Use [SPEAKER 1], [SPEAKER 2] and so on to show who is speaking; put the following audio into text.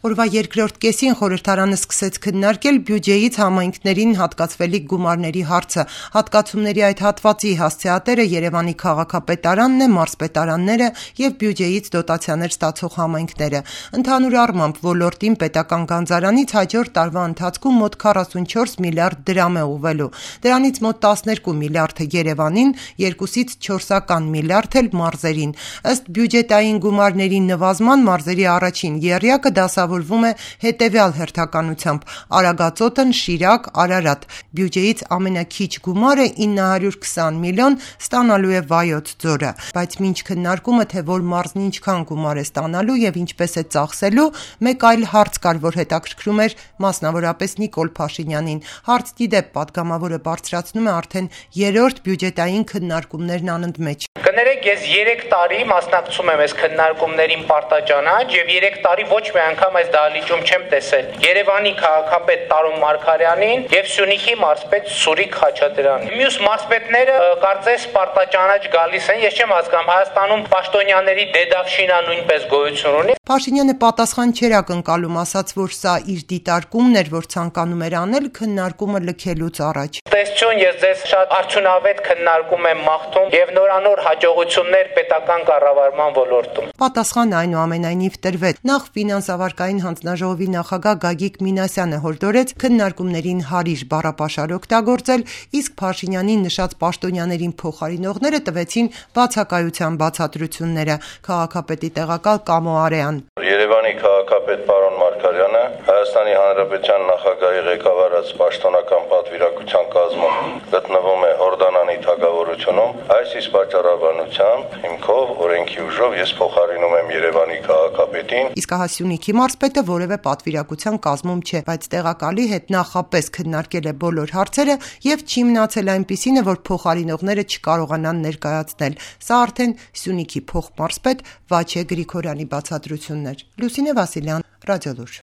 [SPEAKER 1] Օրվա երկրորդ կեսին խորհրդարանը սկսեց քննարկել բյուջեից համայնքներին հատկացվելիք գումարների հարցը։ Հատկացումների այդ հատվածի հասցեատերը Երևանի քաղաքապետարանն է, մարզպետարանները եւ բյուջեից դոտացիաներ ստացող համայնքները։ Ընդհանուր առմամբ ոլորտին պետական գանձարանից հաջորդ տարվա ընթացքում մոտ 44 միլիարդ դրամ է ուղղվելու։ Դրանից մոտ 12 միլիարդը Երևանին, 2-ից 4 միլիարդ էլ մարզերին։ Ըստ բյուջետային գումարների նվազման մարզերի առաջին եռյակը դասավորվում է հետևյալ հերթականությամբ՝ Արագածոտն, Շիրակ, Արարատ։ Բյուջեից ամենաքիչ գումարը 920 միլիոն ստանալու է Վայոց ձորը, բայց մինչ քննարկումը, թե որ մարզն ինչքան գումար է ստանալու եւ ինչպես է ծախսելու, մեկ այլ հարց կար, որ հետաքրքրում էր մասնավորապես Նիկոլ Փաշինյանին։ Հարց դիդեպ պատգամավորը բարձրացնում է արդեն երրորդ բյուջետային քննարկումներն անընդմեջ։
[SPEAKER 2] Կներեք, ես 3 տարի մասնակցում եմ այս քննարկումներին պարտաճանաչ եւ 3 տարի ոչ մի անգամ այս դահլիճում չեմ տեսել Երևանի քաղաքապետ Տարոն Մարգարյանին եւ Սյունիքի մարզպետ Սուրիկ Խաչատրյանին։ Մյուս մարզպետները կարծես պարտաճանաչ գալիս են, ես չեմ հասկանում, Հայաստանում պաշտոնյաների դեդավշինա նույնպես գոյություն ունի։
[SPEAKER 1] Փաշինյանը պատասխան չէր ակնկալում, ասաց, որ սա իր դիտարկումն էր, որ ցանկանում էր անել քննարկումը լքելուց առաջ։
[SPEAKER 2] Տեսություն, ես ձեզ շատ արդյունավետ քննարկում եմ մաղթում եւ նորանոր հաջողություններ պետական կառավարման ոլորտում։
[SPEAKER 1] Պատասխանը այնուամենայնիվ տրվեց։ Նախ ֆինանսավարկային հանձնաժողովի նախագահ Գագիկ Մինասյանը հորդորեց քննարկումներին հարիր բառապաշար օգտագործել, իսկ Փաշինյանին նշած պաշտոնյաներին փոխարինողները տվեցին բացակայության բացատրությունները։ Քաղաքապետի տեղակալ Կամո Արեան։
[SPEAKER 3] Երևանի քաղաքապետ պարոն Մարգարյանը Հայաստանի Հանրապետության նախագահի ղեկավարած պաշտոնական պատվիրակության կազմում գտնվում է Հորդանանի թագավորությունում։ Այս իսկ պատճառաբանությամբ հիմքով օրենքի ուժով ես փոխարինում եմ Երևանի քաղաքապետին։
[SPEAKER 1] Իսկ Սյունիքի մարզպետը որևէ պատվիրակության կազմում չէ, բայց տեղակալի հետ նախապես քննարկել է բոլոր հարցերը եւ չի մնացել այնպիսինը, որ փոխարինողները չկարողանան ներկայացնել։ Սա արդեն Սյունիքի փոխմարզպետ Վաչե Գրիգորյանի բացատրությունն էր։ Լուսինե Վասիլյան, Ռադիոլուր։